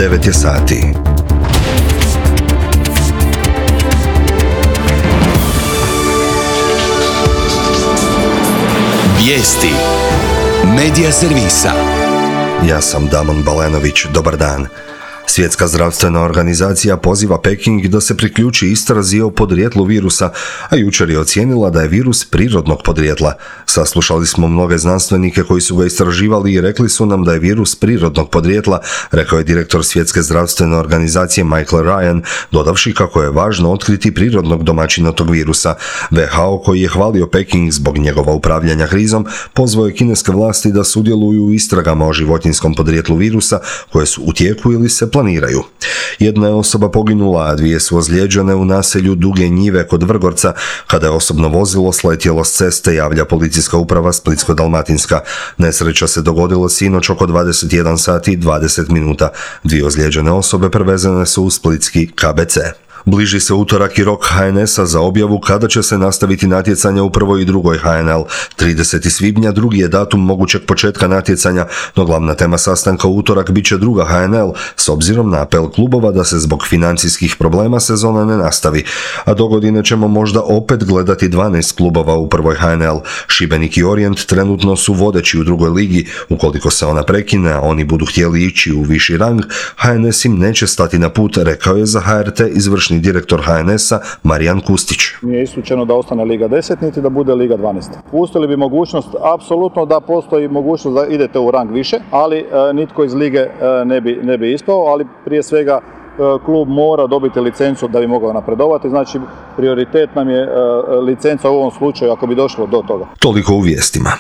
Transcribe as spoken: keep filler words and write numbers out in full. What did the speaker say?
devet je sati. Vijesti Medija servisa. Ja sam Damon Balenović, dobar dan. Svjetska zdravstvena organizacija poziva Peking da se priključi istrazi o podrijetlu virusa, a jučer je ocijenila da je virus prirodnog podrijetla. Saslušali smo mnoge znanstvenike koji su ga istraživali i rekli su nam da je virus prirodnog podrijetla, rekao je direktor Svjetske zdravstvene organizacije Michael Ryan, dodavši kako je važno otkriti prirodnog domaćina tog virusa. W H O, koji je hvalio Peking zbog njegova upravljanja krizom, pozvao je kineske vlasti da sudjeluju u istragama o životinjskom podrijetlu virusa koje su u tijeku ili se planiraju. Jedna je osoba poginula, a dvije su ozlijeđene u naselju Duge Njive kod Vrgorca kada je osobno vozilo sletjelo s ceste, javlja policijska uprava Splitsko-dalmatinska. Nesreća se dogodila sinoć oko dvadeset jedan sati i dvadeset minuta. Dvije ozlijeđene osobe prevezene su u splitski K B C. Bliži se utorak i rok H N S-a za objavu kada će se nastaviti natjecanja u prvoj i drugoj H N L. tridesetog svibnja drugi je datum mogućeg početka natjecanja, no glavna tema sastanka u utorak bit će druga H N L, s obzirom na apel klubova da se zbog financijskih problema sezona ne nastavi. A dogodine ćemo možda opet gledati dvanaest klubova u prvoj H N L. Šibenik i Orijent trenutno su vodeći u drugoj ligi. Ukoliko se ona prekine, a oni budu htjeli ići u viši rang, H N S im neće stati na put, rekao je za H R T izvršni direktor H N S-a Marijan Kustić. Nije isključeno da ostane Liga deset, niti da bude Liga dvanaest. Pustili bi mogućnost, apsolutno da postoji mogućnost da idete u rang više, ali e, nitko iz Lige e, ne, bi, ne bi ispao, ali prije svega e, klub mora dobiti licencu da bi mogao napredovati, znači prioritet nam je e, licenca u ovom slučaju ako bi došlo do toga. Toliko u vijestima.